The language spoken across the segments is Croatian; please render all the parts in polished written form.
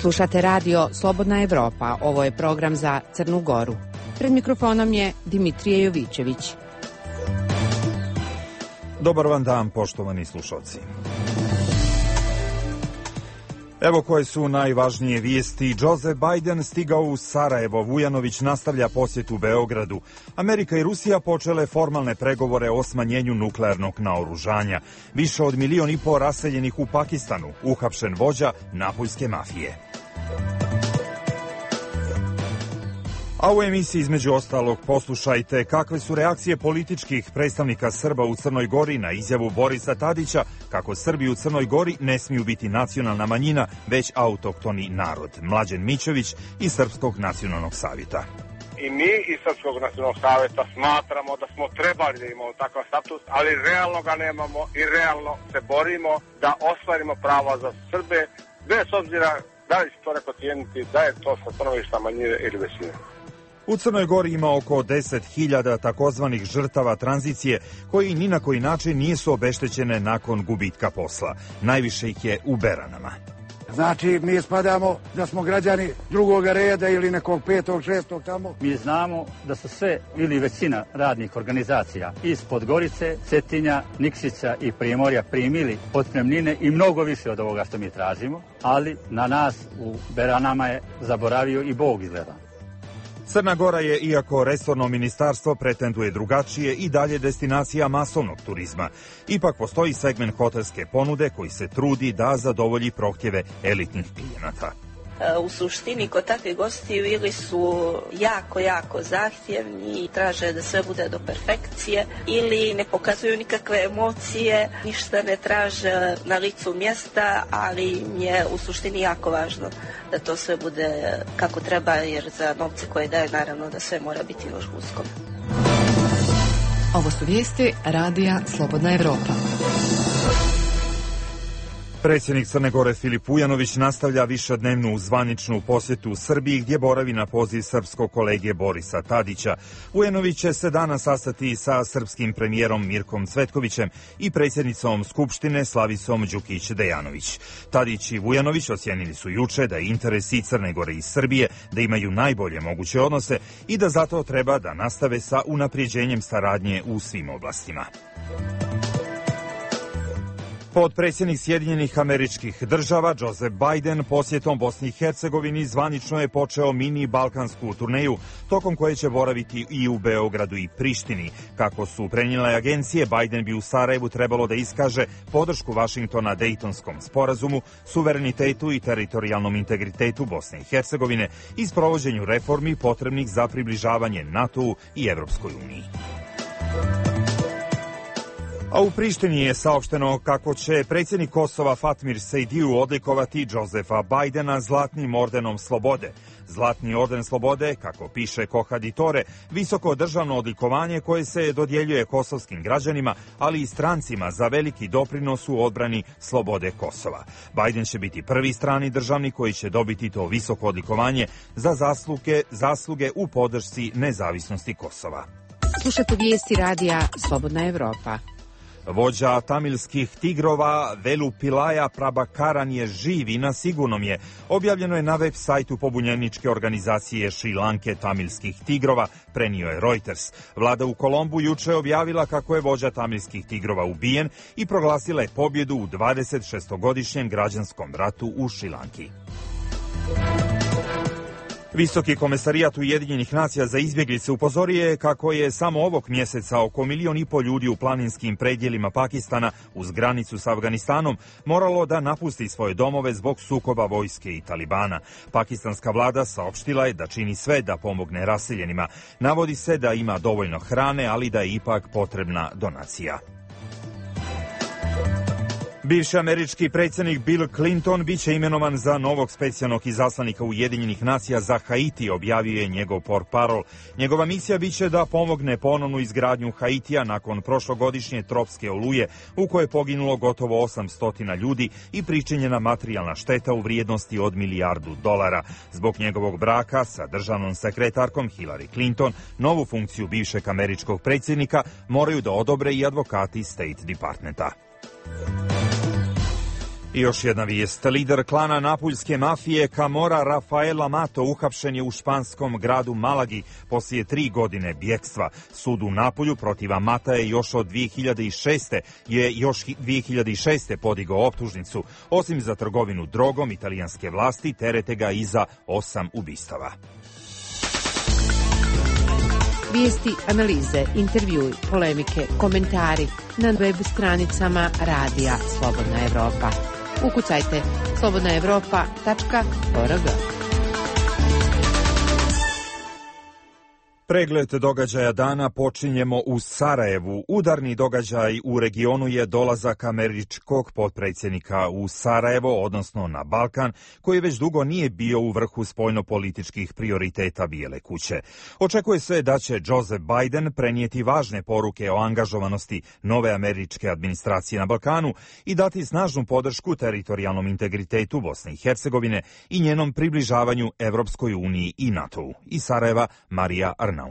Slušate radio Slobodna Evropa. Ovo je program za Crnu Goru. Pred mikrofonom je Dimitrije Jovićević. Dobar vam dan, poštovani slušalci. Evo koje su najvažnije vijesti. Joseph Biden stigao u Sarajevo. Vujanović nastavlja posjetu Beogradu. Amerika i Rusija počele formalne pregovore o smanjenju nuklearnog naoružanja. Više od 1,5 miliona raseljenih u Pakistanu. Uhapšen vođa napuljske mafije. A u emisiji između ostalog poslušajte kakve su reakcije političkih predstavnika Srba u Crnoj Gori na izjavu Borisa Tadića kako Srbi u Crnoj Gori ne smiju biti nacionalna manjina, već autohtoni narod. Mlađen Mićević iz Srpskog nacionalnog savjeta. I mi iz Srpskog nacionalnog savjeta smatramo da smo trebali da imamo takav status, ali realno ga nemamo i realno se borimo da ostvarimo prava za Srbe, bez obzira da li će to neko cijeniti, da je to sa stanovišta manjine ili većine. U Crnoj Gori ima oko 10.000 takozvanih žrtava tranzicije koji ni na koji način nisu obeštećene nakon gubitka posla. Najviše ih je u Beranama. Znači, mi spadamo da smo građani drugog reda ili nekog 5., 6. tamo. Mi znamo da su sve ili većina radnih organizacija iz Podgorice, Cetinja, Nikšića i Primorja primili otpremnine i mnogo više od ovoga što mi tražimo, ali na nas u Beranama je zaboravio i Bog izgleda. Crna Gora je, iako resorno ministarstvo pretenduje drugačije, i dalje destinacija masovnog turizma. Ipak postoji segment hotelske ponude koji se trudi da zadovolji prohtjeve elitnih klijenata. U suštini kod takvih gostiju ili su jako zahtjevni i traže da sve bude do perfekcije, ili ne pokazuju nikakve emocije, ništa ne traže na licu mjesta, ali im je u suštini jako važno da to sve bude kako treba, jer za novce koje daje naravno da sve mora biti još usko. Ovo su vijesti radija Slobodna Evropa. Predsjednik Crne Gore Filip Vujanović nastavlja višednevnu zvaničnu posjetu u Srbiji gdje boravi na poziv srpskog kolege Borisa Tadića. Vujanović će se danas sastati sa srpskim premijerom Mirkom Cvetkovićem i predsjednicom Skupštine Slavisom Đukić-Dejanović. Tadić i Vujanović ocijenili su juče da je interes i Crne Gore i Srbije da imaju najbolje moguće odnose i da zato treba da nastave sa unapređenjem saradnje u svim oblastima. Potpredsjednik Sjedinjenih Američkih Država Joseph Biden posjetom Bosni i Hercegovini zvanično je počeo mini balkansku turneju, tokom koje će boraviti i u Beogradu i Prištini. Kako su prenijele agencije, Biden bi u Sarajevu trebalo da iskaže podršku Vašingtona Dejtonskom sporazumu, suverenitetu i teritorijalnom integritetu Bosne i Hercegovine i sprovođenju reformi potrebnih za približavanje NATO-u i Evropskoj uniji. A u Prištini je saopšteno kako će predsjednik Kosova Fatmir Sejdiju odlikovati Josefa Bajdena Zlatnim ordenom slobode. Zlatni orden slobode, kako piše Kohaditore, visoko državno odlikovanje koje se dodjeljuje kosovskim građanima, ali i strancima za veliki doprinos u odbrani slobode Kosova. Bajden će biti prvi strani državnik koji će dobiti to visoko odlikovanje za zasluge u podršci nezavisnosti Kosova. Slušate vijesti radija Slobodna Evropa. Vođa tamilskih tigrova Velu Pilaja Prabhakaran je živ i na sigurnom je. Objavljeno je na web sajtu pobunjeničke organizacije Šri Lanke tamilskih tigrova, prenio je Reuters. Vlada u Kolombu juče je objavila kako je vođa tamilskih tigrova ubijen i proglasila je pobjedu u 26-godišnjem građanskom ratu u Šri Lanki. Visoki komesarijat Ujedinjenih nacija za izbjeglice upozorio je kako je samo ovog mjeseca oko 1,5 miliona ljudi u planinskim predjelima Pakistana uz granicu s Afganistanom moralo da napusti svoje domove zbog sukoba vojske i Talibana. Pakistanska vlada saopštila je da čini sve da pomogne raseljenima. Navodi se da ima dovoljno hrane, ali da je ipak potrebna donacija. Bivši američki predsjednik Bill Clinton biće imenovan za novog specijalnog izaslanika Ujedinjenih nacija za Haiti, objavio je njegov portparol. Njegova misija biće da pomogne ponovnu izgradnju Haitija nakon prošlogodišnje tropske oluje u kojoj je poginulo gotovo 800 ljudi i pričinjena materijalna šteta u vrijednosti od $1 milijardu. Zbog njegovog braka sa državnom sekretarkom Hillary Clinton, novu funkciju bivšeg američkog predsjednika moraju da odobre i advokati State Departmenta. I još jedna vijest. Lider klana napuljske mafije Camorra Rafael Amato uhapšen je u španskom gradu Malagi poslije 3 godine bjekstva. Sud u Napulju protiv Amata je još 2006. podigao optužnicu. Osim za trgovinu drogom, italijanske vlasti terete ga i za 8 ubistava. Vijesti, analize, intervjui, polemike, komentari na web stranicama Radija Slobodna Evropa. Ukucajte slobodnaevropa.org. Pregled događaja dana počinjemo u Sarajevu. Udarni događaj u regionu je dolazak američkog potpredsjednika u Sarajevo, odnosno na Balkan, koji već dugo nije bio u vrhu spoljnopolitičkih prioriteta Bijele kuće. Očekuje se da će Joseph Biden prenijeti važne poruke o angažovanosti nove američke administracije na Balkanu i dati snažnu podršku teritorijalnom integritetu Bosne i Hercegovine i njenom približavanju Evropskoj uniji i NATO-u. Iz Sarajeva, Marija Arnautović.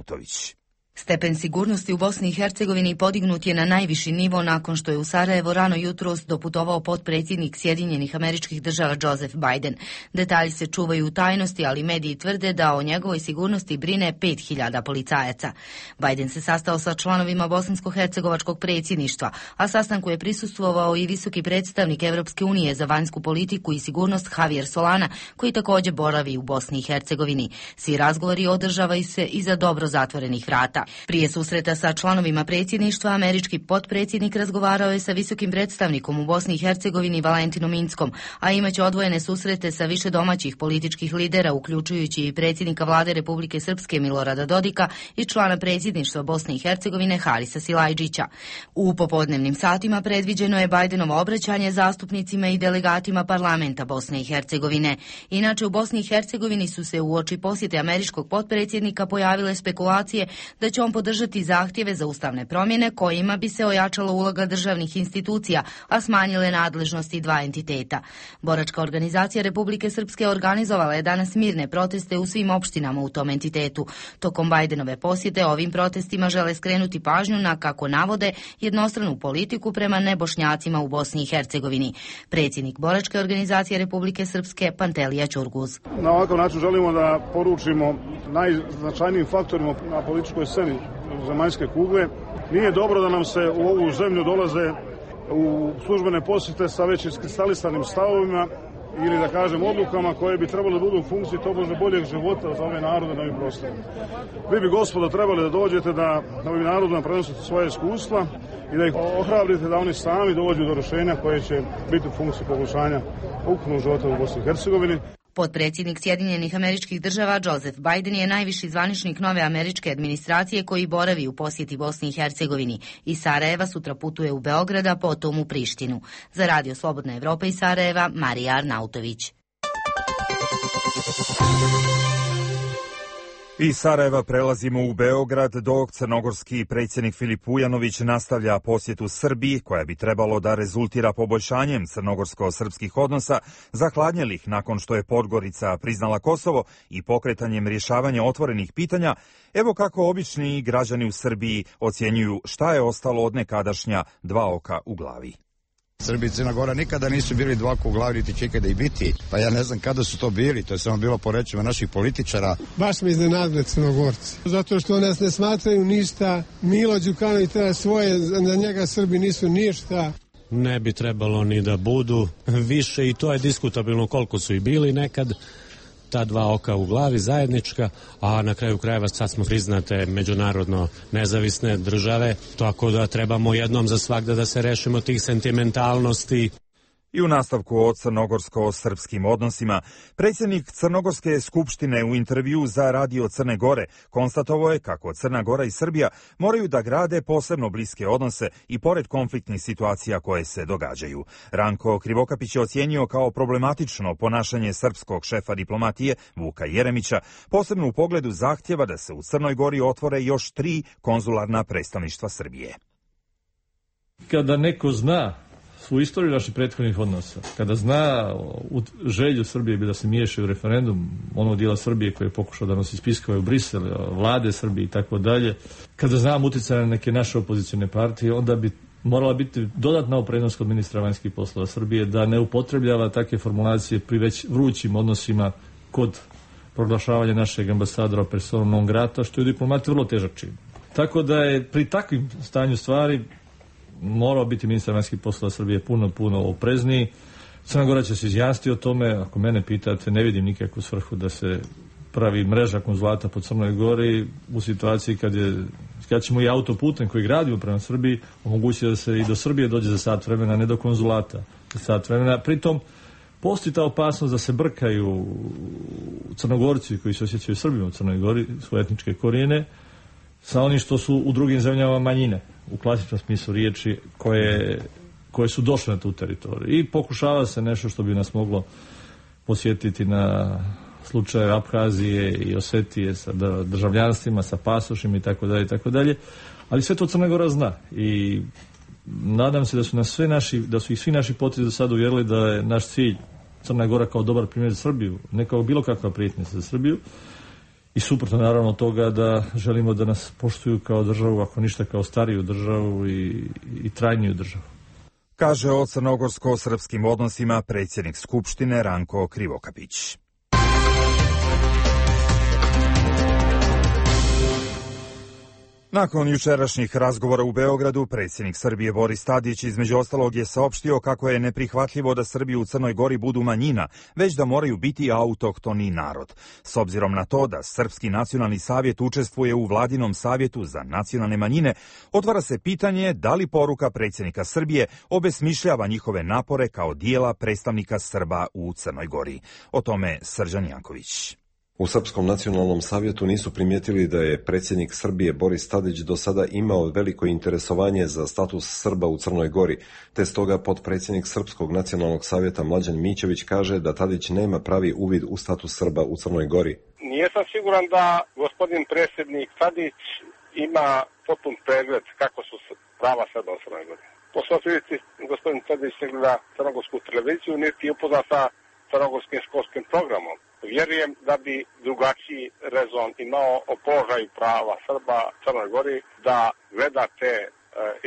Stepen sigurnosti u Bosni i Hercegovini podignut je na najviši nivo nakon što je u Sarajevo rano jutros doputovao potpredsjednik Sjedinjenih Američkih Država Joseph Biden. Detalji se čuvaju u tajnosti, ali mediji tvrde da o njegovoj sigurnosti brine 5000 policajaca. Biden se sastao sa članovima bosansko-hercegovačkog predsjedništva, a sastanku je prisustvovao i visoki predstavnik Evropske unije za vanjsku politiku i sigurnost Javier Solana, koji također boravi u Bosni i Hercegovini. Svi razgovori održavaju se iza dobro zatvorenih vrata. Prije susreta sa članovima predsjedništva, američki potpredsjednik razgovarao je sa visokim predstavnikom u Bosni i Hercegovini Valentinom Inckom, a imaće odvojene susrete sa više domaćih političkih lidera, uključujući i predsjednika vlade Republike Srpske Milorada Dodika i člana predsjedništva Bosne i Hercegovine Harisa Silajdžića. U popodnevnim satima predviđeno je Bidenovo obraćanje zastupnicima i delegatima parlamenta Bosne i Hercegovine. Inače, u Bosni i Hercegovini su se uoči posjete američkog potpredsjednika pojavile spekulacije da će on podržati zahtjeve za ustavne promjene kojima bi se ojačala uloga državnih institucija, a smanjile nadležnosti dva entiteta. Boračka organizacija Republike Srpske organizovala je danas mirne proteste u svim opštinama u tom entitetu. Tokom Bidenove posjete ovim protestima žele skrenuti pažnju na, kako navode, jednostranu politiku prema nebošnjacima u Bosni i Hercegovini. Predsjednik Boračke organizacije Republike Srpske Pantelija Ćurguz. Na ovakav način želimo da poručimo najznačajnijim faktorima na političkoj sceni zemaljske kugle. Nije dobro da nam se u ovu zemlju dolaze u službene posjete sa već iskristalisanim stavovima ili da kažem odlukama koje bi trebalo da budu u funkciji tobože boljeg života za ove narode na ovim prostorima. Vi bi, gospodo, trebali da dođete da ovim narodima prenosite svoje iskustva i da ih ohrabrite da oni sami dođu do rješenja koje će biti u funkciji poboljšanja ukupnog života u Bosni i Hercegovini. Potpredsjednik Sjedinjenih Američkih Država Joseph Biden je najviši zvaničnik nove američke administracije koji boravi u posjeti Bosni i Hercegovini. Iz Sarajeva sutra putuje u Beograd, a potom u Prištinu. Za Radio Slobodna Evropa iz Sarajeva, Marija Arnautović. Iz Sarajeva prelazimo u Beograd, dok crnogorski predsjednik Filip Vujanović nastavlja posjetu Srbiji, koja bi trebalo da rezultira poboljšanjem crnogorsko-srpskih odnosa, zahladnjelih nakon što je Podgorica priznala Kosovo i pokretanjem rješavanja otvorenih pitanja. Evo kako obični građani u Srbiji ocjenjuju šta je ostalo od nekadašnja dva oka u glavi. Srbija i Crna Gora nikada nisu bili dva oka u glavi, niti će ikada i biti. Pa ja ne znam kada su to bili, to je samo bilo po rečima naših političara. Baš me iznenadile Crnogorci, zato što nas ne smatraju ništa. Milo Đukanović treba svoje, za njega Srbi nisu ništa. Ne bi trebalo ni da budu više, i to je diskutabilno koliko su i bili nekad. Ta dva oka u glavi zajednička, a na kraju krajeva sad smo priznate međunarodno nezavisne države, tako da trebamo jednom za svagda da se rešimo tih sentimentalnosti. I u nastavku o crnogorsko-srpskim odnosima, predsjednik Crnogorske skupštine u intervju za Radio Crne Gore konstatovao je kako Crna Gora i Srbija moraju da grade posebno bliske odnose i pored konfliktnih situacija koje se događaju. Ranko Krivokapić je ocijenio kao problematično ponašanje srpskog šefa diplomatije Vuka Jeremića, posebno u pogledu zahtjeva da se u Crnoj Gori otvore još 3 konzularna predstavništva Srbije. Kada neko zna svu istoriju naših prethodnih odnosa, kada zna želju Srbije bi da se miješa u referendum onog dijela Srbije koji je pokušao da nosi spiskove u Brisel, vlade Srbije i tako dalje, kada znam utjecaj na neke naše opozicione partije, onda bi morala biti dodatna opreznost kod ministra vanjskih poslova Srbije da ne upotrebljava takve formulacije pri već vrućim odnosima kod proglašavanja našeg ambasadora personom non grata, što je u diplomatiji vrlo težak čin. Tako da je pri takvim stanju stvari morao biti ministar vanjskih poslova Srbije puno oprezniji. Crna Gora će se izjasniti o tome. Ako mene pitate, ne vidim nikakvu svrhu da se pravi mreža konzulata po Crnoj Gori u situaciji kad ćemo i autoputem koji gradimo prema Srbiji omogućiti da se i do Srbije dođe za sat vremena, ne do konzulata za sat vremena. Pritom postoji ta opasnost da se brkaju Crnogorci koji se osjećaju Srbima u Crnoj Gori, svoje etničke korijene, sa onim što su u drugim zemljama manjine, u klasičnom smislu riječi, koje su došle na tu teritoriju. I pokušava se nešto što bi nas moglo posjetiti na slučaje Abhazije i Osetije sa državljanstvima, sa pasošima itd. Ali sve to Crna Gora zna i nadam se da su ih svi naši potezi do sada uvjerili da je naš cilj Crna Gora kao dobar primjer za Srbiju, ne kao bilo kakva prijetnja za Srbiju i suprotno naravno od toga da želimo da nas poštuju kao državu, ako ništa kao stariju državu i trajniju državu. Kaže o crnogorsko-srpskim odnosima predsjednik Skupštine Ranko Krivokapić. Nakon jučerašnjih razgovora u Beogradu, predsjednik Srbije Boris Tadić između ostalog je saopštio kako je neprihvatljivo da Srbi u Crnoj Gori budu manjina, već da moraju biti autohtoni narod. S obzirom na to da Srpski nacionalni savjet učestvuje u Vladinom savjetu za nacionalne manjine, otvara se pitanje da li poruka predsjednika Srbije obesmišljava njihove napore kao dijela predstavnika Srba u Crnoj Gori. O tome Srđan Janković. U Srpskom nacionalnom savjetu nisu primijetili da je predsjednik Srbije Boris Tadić do sada imao veliko interesovanje za status Srba u Crnoj Gori, te stoga potpredsjednik Srpskog nacionalnog savjeta Mlađan Mićević kaže da Tadić nema pravi uvid u status Srba u Crnoj Gori. Nisam siguran da gospodin predsjednik Tadić ima potpun pregled kako su prava Srba u Crnoj Gori. Po svoj prilici gospodin Tadić ne gleda crnogorsku televiziju, niti je upoznat sa crnogorskim školskim programom. Vjerujem da bi drugačiji rezon imao o položaju prava Srba u Crnoj Gori da gleda te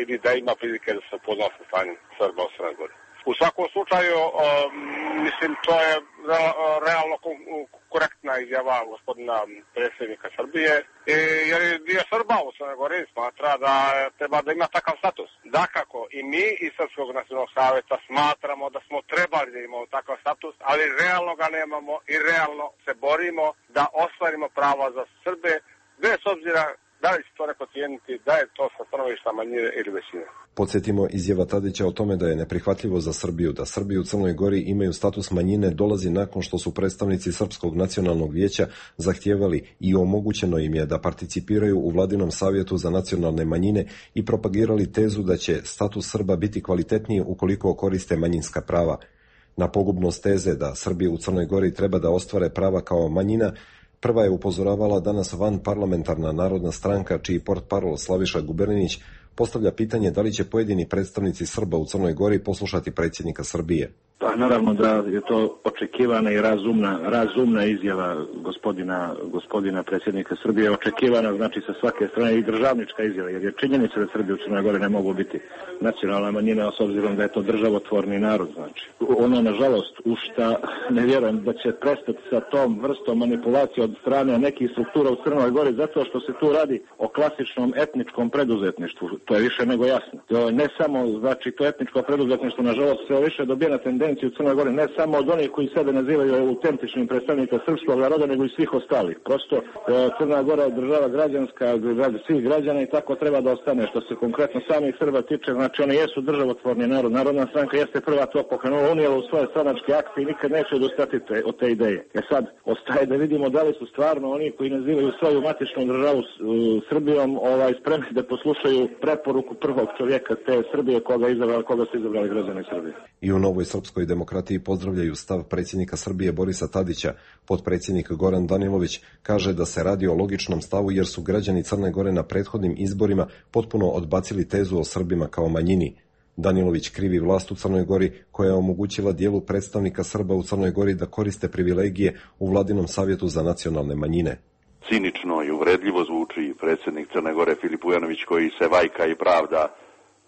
ili da ima prilike da se upozna sa stanjem Srba u Crnoj Gori. U svakom slučaju, mislim, to je realno korektna izjava gospodina predsjednika Srbije, jer je dio Srba u Crnoj Gori smatra da treba da ima takav status. Dakako, i mi iz Srpskog nacionalnog savjeta smatramo da smo trebali da imamo takav status, ali realno ga nemamo i realno se borimo da ostvarimo prava za Srbe, bez obzira da li će to neko cijeniti, da je to sa stanovišta manjine ili većine. Podsjetimo, izjava Tadića o tome da je neprihvatljivo za Srbiju da Srbi u Crnoj Gori imaju status manjine dolazi nakon što su predstavnici Srpskog nacionalnog vijeća zahtijevali i omogućeno im je da participiraju u Vladinom savjetu za nacionalne manjine i propagirali tezu da će status Srba biti kvalitetniji ukoliko koriste manjinska prava. Na pogubnost teze da Srbi u Crnoj Gori treba da ostvare prava kao manjina, prva je upozoravala danas vanparlamentarna Narodna stranka, čiji portparol Slaviša Guberninić postavlja pitanje da li će pojedini predstavnici Srba u Crnoj Gori poslušati predsjednika Srbije. Pa naravno da je to očekivana i razumna izjava gospodina predsjednika Srbije, očekivana znači sa svake strane i državnička izjava, jer je činjenica da Srbi u Crnoj Gori ne mogu biti nacionalna manjina, s obzirom da je to državotvorni narod. Znači, ono nažalost u šta ne vjerujem da će prestati sa tom vrstom manipulacije od strane nekih struktura u Crnoj Gori, zato što se tu radi o klasičnom etničkom preduzetništvu. To je više nego jasno. Ne samo, znači, to etničko preduzetništvo nažalost sve više dobija na tendenciju u Crnoj Gori, ne samo od onih koji sebe nazivaju autentičnim predstavnika srpskog naroda, nego i svih ostalih. Prosto Crna Gora je država građanska, svih građana i tako treba da ostane. Što se konkretno samih Srba tiče, znači oni jesu državotvorni narod. Narodna stranka jeste prva to pokrenula, unijela u svoje stranačke akte i nikad neće odustati od te ideje. Sad, ostaje da vidimo da li su stvarno oni koji nazivaju svoju matičnu državu Srbijom spremni da poslušaju preporuku prvog čovjeka te Srbije koga su izabrali građani Srbije. I u Novoj srpskoj demokratiji pozdravljaju stav predsjednika Srbije Borisa Tadića. Potpredsjednik Goran Danilović kaže da se radi o logičnom stavu jer su građani Crne Gore na prethodnim izborima potpuno odbacili tezu o Srbima kao manjini. Danilović krivi vlast u Crnoj Gori koja je omogućila dijelu predstavnika Srba u Crnoj Gori da koriste privilegije u Vladinom savjetu za nacionalne manjine. Cinično i uvredljivo zvuči predsjednik Crne Gore Filip Vujanović koji se vajka i pravda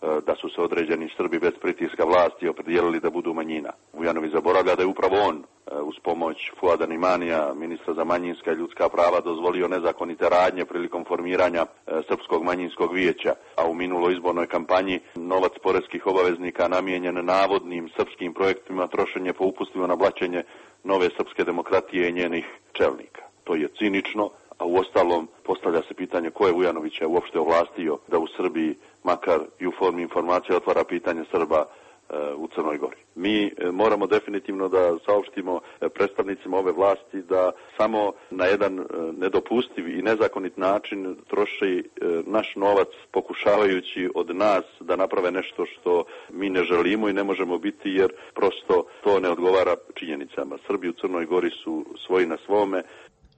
da su se određeni Srbi bez pritiska vlasti opredijelili da budu manjina. Vujanović zaboravlja da je upravo on uz pomoć Fuada Nimanija, ministra za manjinska i ljudska prava, dozvolio nezakonite radnje prilikom formiranja Srpskog manjinskog vijeća, a u minuloj izbornoj kampanji novac poreskih obaveznika namijenjen navodnim srpskim projektima trošen je po upustima na blaćenje nove srpske demokratije i njenih čelnika. To je cinično, a uostalom postavlja se pitanje ko je Vujanovića uopšte ovlastio da u Srbiji, makar i u formi informacije, otvara pitanje Srba u Crnoj Gori. Mi moramo definitivno da saopštimo predstavnicima ove vlasti da samo na jedan nedopustiv i nezakonit način troši naš novac pokušavajući od nas da naprave nešto što mi ne želimo i ne možemo biti, jer prosto to ne odgovara činjenicama. Srbi u Crnoj Gori su svoji na svome.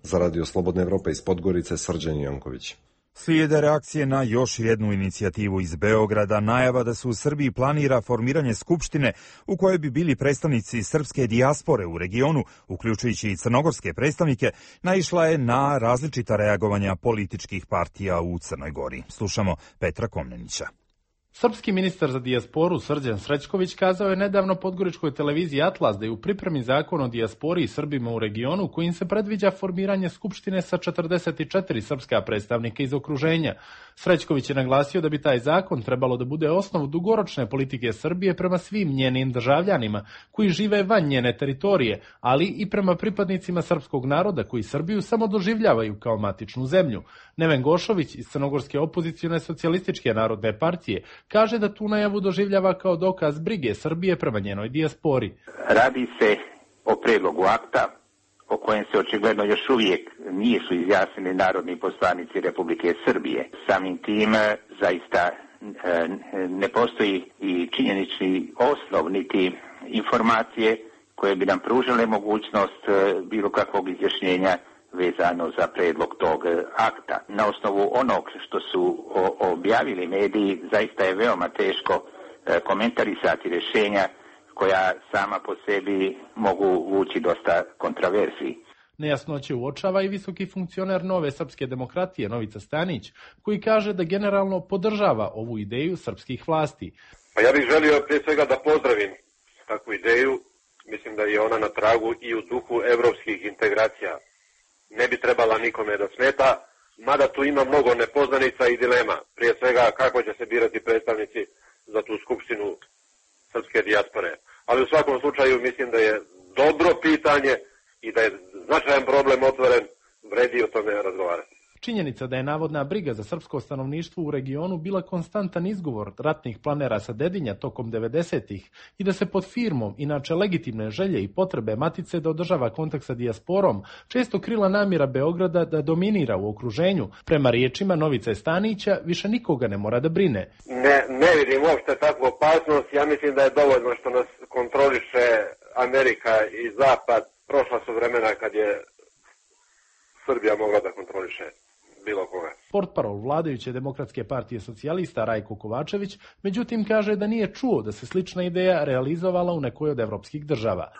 Za Radio Slobodna Evropa iz Podgorice, Srđan Janković. Slijede reakcije na još jednu inicijativu iz Beograda, najava da se u Srbiji planira formiranje skupštine u kojoj bi bili predstavnici srpske dijaspore u regionu, uključujući i crnogorske predstavnike, naišla je na različita reagovanja političkih partija u Crnoj Gori. Slušamo Petra Komnenića. Srpski ministar za dijasporu Srđan Srećković kazao je nedavno podgoričkoj televiziji Atlas da je u pripremi zakon o dijaspori i Srbima u regionu kojim se predviđa formiranje skupštine sa 44 srpska predstavnika iz okruženja. Srećković je naglasio da bi taj zakon trebalo da bude osnov dugoročne politike Srbije prema svim njenim državljanima koji žive van njene teritorije, ali i prema pripadnicima srpskog naroda koji Srbiju samo doživljavaju kao matičnu zemlju. Neven Gošović iz crnogorske opozicione socijalističke narodne partije kaže da tu najavu doživljava kao dokaz brige Srbije prema njenoj dijaspori. Radi se o predlogu akta o kojem se očigledno još uvijek nisu izjasnili narodni poslanici Republike Srbije. Samim tim zaista ne postoji i činjenični osnov niti informacije koje bi nam pružile mogućnost bilo kakvog izjašnjenja vezano za predlog tog akta. Na osnovu onog što su objavili mediji, zaista je veoma teško komentarisati rješenja koja sama po sebi mogu vući dosta kontraverziji. Nejasnoće uočava i visoki funkcioner Nove srpske demokratije Novica Stanić, koji kaže da generalno podržava ovu ideju srpskih vlasti. Pa ja bih želio prije svega da pozdravim takvu ideju. Mislim da je ona na tragu i u duhu evropskih integracija. Ne bi trebala nikome da smeta, mada tu ima mnogo nepoznanica i dilema. Prije svega kako će se birati predstavnici za tu skupštinu srpske dijaspore. Ali u svakom slučaju mislim da je dobro pitanje i da je značajan problem otvoren, vredi o tome razgovarati. Činjenica da je navodna briga za srpsko stanovništvo u regionu bila konstantan izgovor ratnih planera sa Dedinja tokom 90-ih i da se pod firmom, inače legitimne želje i potrebe matice da održava kontakt sa dijasporom, često krila namjera Beograda da dominira u okruženju. Prema riječima Novice Stanića, više nikoga ne mora da brine. Ne vidim uopšte takvu opasnost. Ja mislim da je dovoljno što nas kontroliše Amerika i Zapad. Prošla su vremena kad je Srbija mogla da kontroliše bilo koga. Portparol vladajuće Demokratske partije socijalista Rajko Kovačević, međutim kaže da nije čuo da se slična ideja realizovala u nekoj od evropskih država.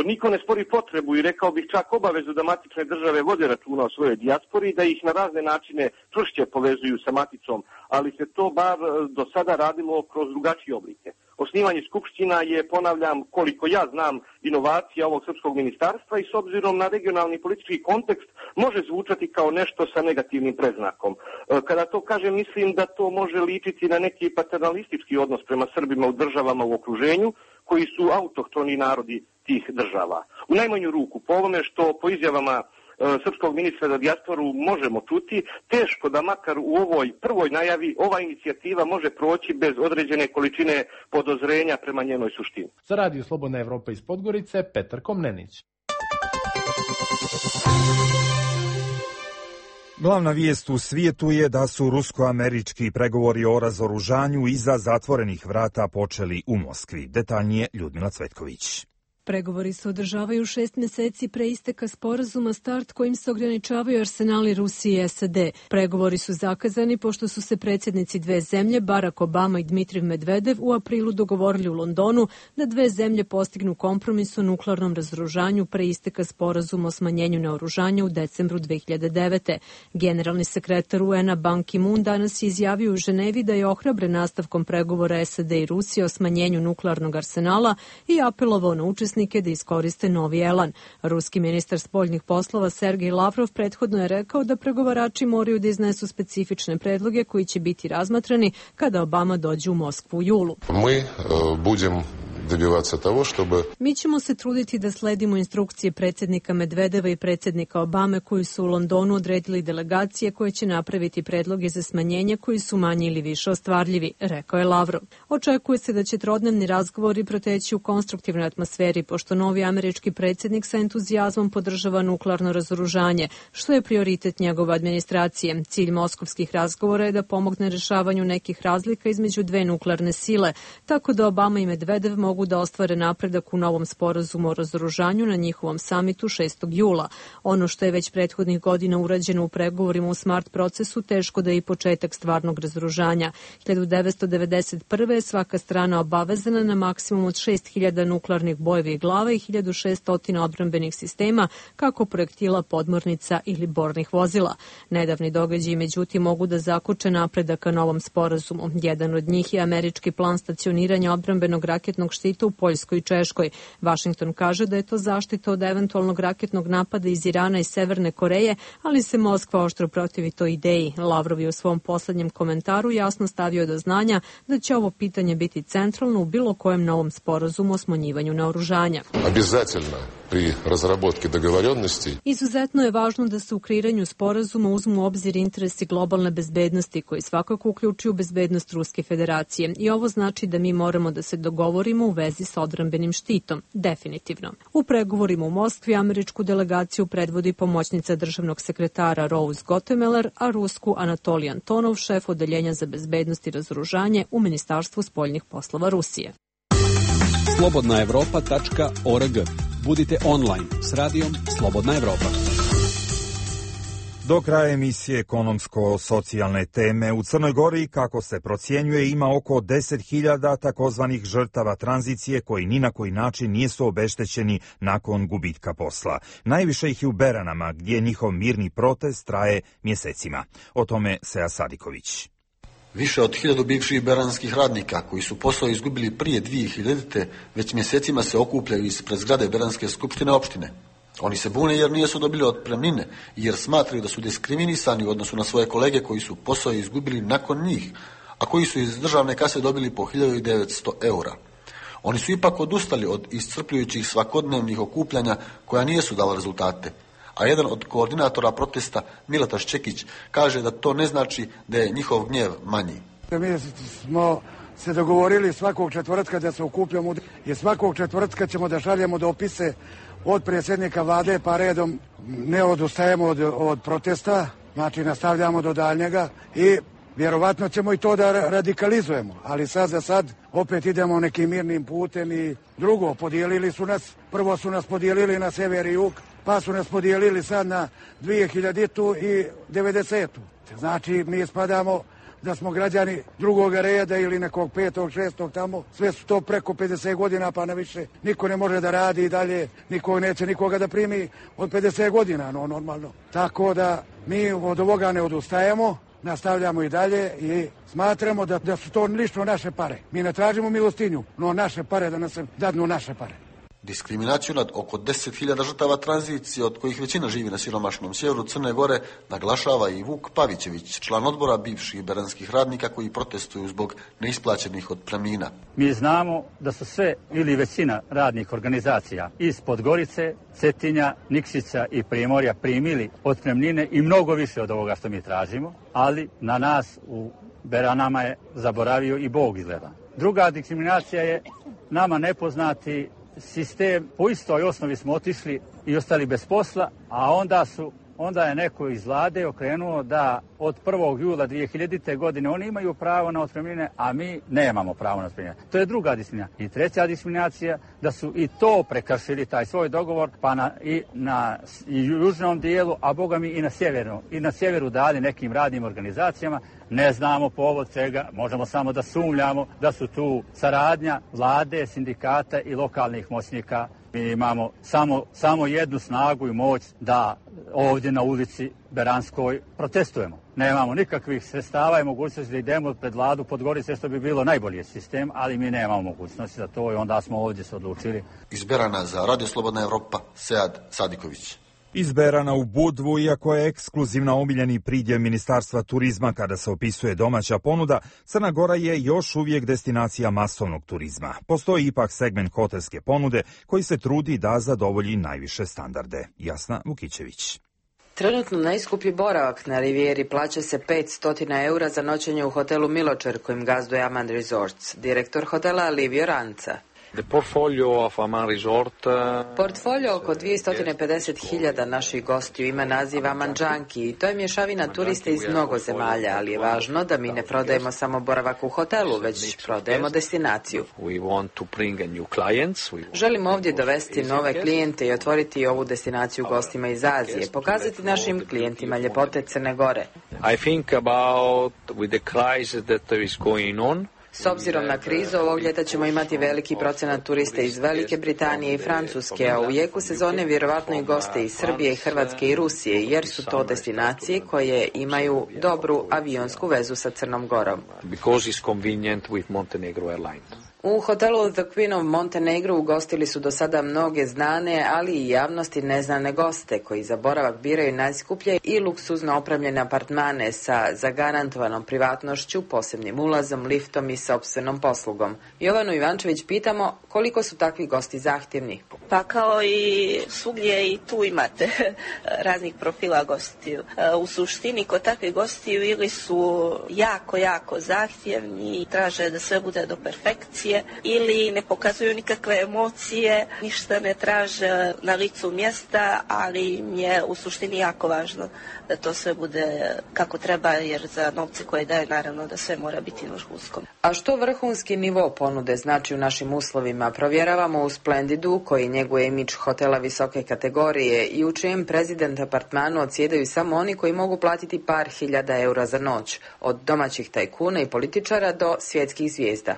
Niko ne spori potrebu i rekao bih čak obavezu da matične države vode računa o svojoj dijaspori i da ih na razne načine čvršće povezuju sa maticom, ali se to bar do sada radilo kroz drugačije oblike. Osnivanje skupština je, ponavljam, koliko ja znam, inovacija ovog srpskog ministarstva i s obzirom na regionalni politički kontekst može zvučati kao nešto sa negativnim predznakom. Kada to kažem, mislim da to može ličiti na neki paternalistički odnos prema Srbima u državama u okruženju koji su autohtoni narodi tih država. U najmanju ruku, po ovome što po izjavama srpskog ministra za dijasporu možemo čuti, teško da makar u ovoj prvoj najavi ova inicijativa može proći bez određene količine podozrenja prema njenoj suštini. Za Radio Slobodna Evropa iz Podgorice, Petar Komnenić. Glavna vijest u svijetu je da su rusko-američki pregovori o razoružanju iza zatvorenih vrata počeli u Moskvi. Detaljnije Ljudmila Cvetković. Pregovori se održavaju 6 meseci pre isteka sporazuma START kojim se ograničavaju arsenali Rusije i SAD. Pregovori su zakazani pošto su se predsjednici dve zemlje, Barack Obama i Dmitrijev Medvedev, u aprilu dogovorili u Londonu da dve zemlje postignu kompromis o nuklearnom razoružanju pre isteka sporazuma o smanjenju naoružanja u decembru 2009. Generalni sekretar UN-a Ban Ki-moon danas je izjavio u Ženevi da je ohrabren nastavkom pregovora SAD i Rusije o smanjenju nuklearnog arsenala i apelovao na učesnike da iskoriste novi elan. Ruski ministar spoljnih poslova Sergej Lavrov prethodno je rekao da pregovarači moraju da iznesu specifične predloge koji će biti razmatrani kada Obama dođe u Moskvu u julu. Mi ćemo se truditi da sledimo instrukcije predsjednika Medvedeva i predsjednika Obame koji su u Londonu odredili delegacije koje će napraviti predloge za smanjenje koji su manje ili više ostvarljivi, rekao je Lavrov. Očekuje se da će trodnevni razgovori proteći u konstruktivnoj atmosferi pošto novi američki predsjednik sa entuzijazmom podržava nuklearno razoružanje, što je prioritet njegove administracije. Cilj moskovskih razgovora je da pomogne rešavanju nekih razlika između dve nuklearne sile, tako da Obama i Medvedev mogu da ostvare napredak u novom sporazumu o razoružanju na njihovom samitu 6. jula. Ono što je već prethodnih godina urađeno u pregovorima u SMART procesu, teško da je i početak stvarnog razoružanja. 1991. je svaka strana obavezana na maksimum od 6.000 nuklearnih bojevih glava i 1.600 odbrambenih sistema, kako projektila, podmornica ili bornih vozila. Nedavni događaji, međutim, mogu da zakoče napredak ka novom sporazumu. Jedan od njih je američki plan stacioniranja odbrambenog raketnog štita u Poljskoj i Češkoj. Vašington kaže da je to zaštita od eventualnog raketnog napada iz Irana i Severne Koreje, ali se Moskva oštro protivi toj ideji. Lavrov je u svom poslednjem komentaru jasno stavio do znanja da će ovo pitanje biti centralno u bilo kojem novom sporazumu o smanjivanju naoružanja. Pri razraботki dogovorenosti. Izuzetno je važno da se u kreiranju sporazuma uzmu u obzir interesi globalne bezbednosti koji svakako uključuju bezbednost Ruske federacije i ovo znači da mi moramo da se dogovorimo u vezi sa odbrambenim štitom, definitivno. U pregovorima u Moskvi američku delegaciju predvodi pomoćnica državnog sekretara Rose Gottemoeller, a rusku Anatolij Antonov, šef odeljenja za bezbednost i razoružanje u Ministarstvu spoljnih poslova Rusije. slobodnaevropa.org. Budite online s radijom Slobodna Evropa. Do kraja emisije ekonomsko-socijalne teme u Crnoj Gori, kako se procjenjuje, ima oko 10.000 takozvanih žrtava tranzicije koji ni na koji način nisu obeštećeni nakon gubitka posla. Najviše ih je u Beranama, gdje njihov mirni protest traje mjesecima. O tome Seja Sadiković. Više od 1000 bivših beranskih radnika koji su posao izgubili prije 2000. već mjesecima se okupljaju ispred zgrade Beranske skupštine opštine. Oni se bune jer nisu dobili otpremnine i jer smatraju da su diskriminisani u odnosu na svoje kolege koji su posao izgubili nakon njih, a koji su iz državne kase dobili po 1900 eura. Oni su ipak odustali od iscrpljujućih svakodnevnih okupljanja koja nisu dala rezultate. A jedan od koordinatora protesta, Milataš Čekić, kaže da to ne znači da je njihov gnjev manji. Mi smo se dogovorili svakog četvrtka da se okupljamo i svakog četvrtka ćemo da šaljemo dopise od predsjednika vlade pa redom, ne odustajemo od protesta, znači nastavljamo do daljnjega i vjerovatno ćemo i to da radikalizujemo, ali sad za sad opet idemo nekim mirnim putem i drugo, podijelili su nas, prvo su nas podijelili na sever i jug, pa su nas podijelili sad na 2000 i 90. Znači mi spadamo da smo građani drugog reda ili nekog 5., 6. tamo, sve su to preko 50 godina pa na više. Niko ne može da radi i dalje, niko neće nikoga da primi od 50 godina, no normalno. Tako da mi od ovoga ne odustajemo, nastavljamo i dalje i smatramo da su to lično naše pare. Mi ne tražimo milostinju, no naše pare da nas dadnu naše pare. Diskriminaciju nad oko 10.000 žrtava tranzicije, od kojih većina živi na siromašnom sjeveru Crne Gore, naglašava i Vuk Pavićević, član odbora bivših beranskih radnika koji protestuju zbog neisplaćenih otpremnina. Mi znamo da su sve ili većina radnih organizacija iz Podgorice, Cetinja, Nikšića i Primorja primili otpremnine i mnogo više od ovoga što mi tražimo, ali na nas u Beranama je zaboravio i Bog izgleda. Druga diskriminacija je nama nepoznati sistem. Po istoj osnovi smo otišli i ostali bez posla, a onda je neko iz vlade okrenuo da od 1. jula 2000. godine oni imaju pravo na otpremnine, a mi nemamo pravo na otpremnine. To je druga diskriminacija. I treća diskriminacija, da su i to prekršili, taj svoj dogovor, pa i na južnom dijelu, a boga mi i na sjeveru dali nekim radnim organizacijama. Ne znamo povod čega, možemo samo da sumnjamo da su tu saradnja vlade, sindikata i lokalnih moćnika. Mi imamo samo jednu snagu i moć da ovdje na ulici Beranskoj protestujemo. Nemamo nikakvih sredstava i mogućnosti da idemo pred vladu Podgorice, što bi bilo najbolji sistem, ali mi nemamo mogućnosti za to i onda smo ovdje se odlučili. Iz Berana za Radio Slobodna Evropa, Sead Sadiković. Iz Berana u Budvu, iako je ekskluzivna omiljeni pridjev Ministarstva turizma kada se opisuje domaća ponuda, Crna Gora je još uvijek destinacija masovnog turizma. Postoji ipak segment hotelske ponude koji se trudi da zadovolji najviše standarde. Jasna Vukićević. Trenutno najskuplji boravak na Rivijeri plaća se 500 eura za noćenje u hotelu Miločer kojim gazduje Aman Resorts. Direktor hotela Livio Ranca. Portfolio oko 250.000 naših gostiju ima naziv Aman Džanki i to je mješavina turista iz mnogo zemalja, ali je važno da mi ne prodajemo samo boravak u hotelu, već prodajemo destinaciju. Želimo ovdje dovesti nove klijente i otvoriti ovu destinaciju gostima iz Azije, pokazati našim klijentima ljepote Crne Gore. I think about with the crisis that is going on. S obzirom na krizu, ovog ljeta ćemo imati veliki procenat turista iz Velike Britanije i Francuske, a u jeku sezone vjerovatno i goste iz Srbije, Hrvatske i Rusije, jer su to destinacije koje imaju dobru avionsku vezu sa Crnom Gorom. Because it's convenient with Montenegro Airlines. U hotelu The Queen of Montenegro ugostili su do sada mnoge znane, ali i javnosti neznane goste, koji za boravak biraju najskuplje i luksuzno opremljene apartmane sa zagarantovanom privatnošću, posebnim ulazom, liftom i sopstvenom poslugom. Jovanu Ivančević pitamo koliko su takvi gosti zahtjevni. Pa kao i svugdje i tu imate raznih profila gostiju. U suštini kod takvih gostiju ili su jako zahtjevni, traže da sve bude do perfekcije, ili ne pokazuju nikakve emocije, ništa ne traže na licu mjesta, ali im je u suštini jako važno da to sve bude kako treba, jer za novce koje daje naravno da sve mora biti vrhunsko. A što vrhunski nivo ponude znači u našim uslovima, provjeravamo u Splendidu, koji njeguje imidž hotela visoke kategorije i u čijem prezident apartmanu odsjedaju samo oni koji mogu platiti par hiljada eura za noć, od domaćih tajkuna i političara do svjetskih zvijezda.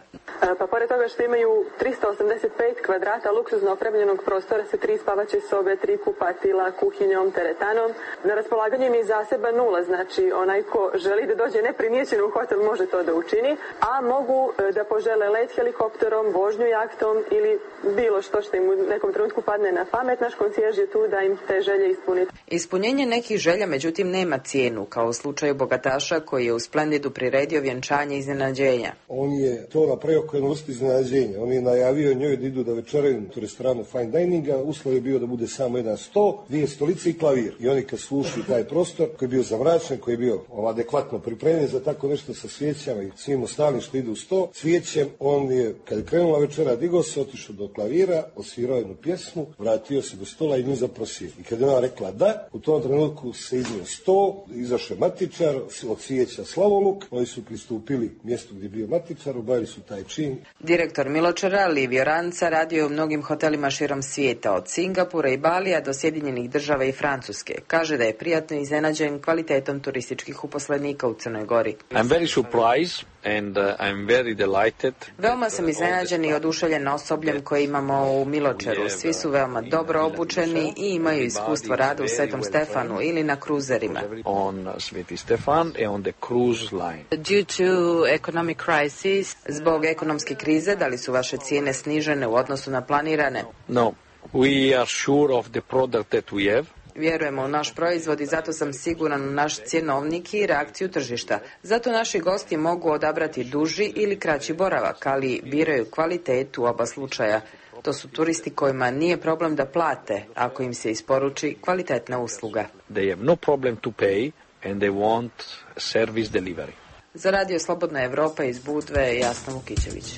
Pa pored toga što imaju 385 kvadrata luksuzno opremljenog prostora sa 3 spavaće sobe, 3 kupatila, kuhinjom, teretanom, na raspolaganju im je zaseban ulaz, znači onaj ko želi da dođe neprimjećen u hotel može to da učini, a mogu da požele let helikopterom, vožnju jahtom ili bilo što im u nekom trenutku padne na pamet. Naš konsijerž je tu da im te želje ispuni. Ispunjenje nekih želja međutim nema cijenu, kao u slučaju bogataša koji je u Splendidu priredio vjenčanje iznenađenja. On je to napravio kao jednu vrstu iznenađenja. On je najavio njoj da idu da večeraju u restoranu fine dininga, uslov je bio da bude samo jedan sto, 2 stolice i klavir. I oni kad slušaju taj prostor koji je bio zamračen, koji je bio adekvatno pripremljen za tako nešto sa svijećama i svim ostalim što idu u sto, svijećem on je, kad je krenula večera, digao se, otišao do klavira, osvirao jednu pjesmu, vratio se do stola i nju zaprosio. I kad je ona rekla da, u tom trenutku se iznio sto, izašao matičar, od svijeća slavoluk, oni su pristupili mjestu gdje je bio matičar, obavili su taj čin. Direktor Miločera, Livio Ranca, radio je u mnogim hotelima širom svijeta, od Singapura i Balija do Sjedinjenih Država i Francuske. Kaže da je prijatno iznenađen kvalitetom turističkih uposlenika u Crnoj Gori. I'm very surprised and I'm very delighted. Veoma sam iznenađen i oduševljen osobljem koje imamo u Miločeru. Svi su veoma dobro obučeni i imaju iskustvo rada u Svetom Stefanu ili na kruzerima. On Sveti Stefan and on the cruise line. Due to economic crisis, zbog ekonomske krize, da li su vaše cijene snižene u odnosu na planirane? No, we are sure of the product that we have. Vjerujemo u naš proizvod i zato sam siguran u naš cjenovnik i reakciju tržišta. Zato naši gosti mogu odabrati duži ili kraći boravak, ali biraju kvalitetu u oba slučaja. To su turisti kojima nije problem da plate ako im se isporuči kvalitetna usluga. They have no problem to pay and they want service delivery. Za Radio Slobodna Evropa iz Budve, Jasna Vukićević.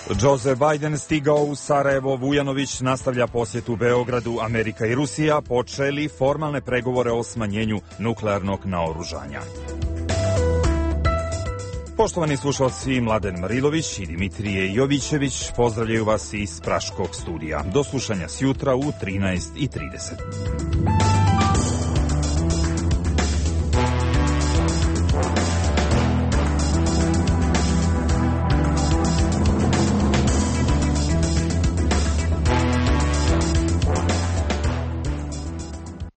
Joe Biden stigao u Sarajevo, Vujanović nastavlja posjetu Beogradu, Amerika i Rusija počeli formalne pregovore o smanjenju nuklearnog naoružanja. Poštovani slušalci, Mladen Marilović i Dimitrije Jovićević pozdravljaju vas iz Praškog studija. Do slušanja sjutra u 13:30.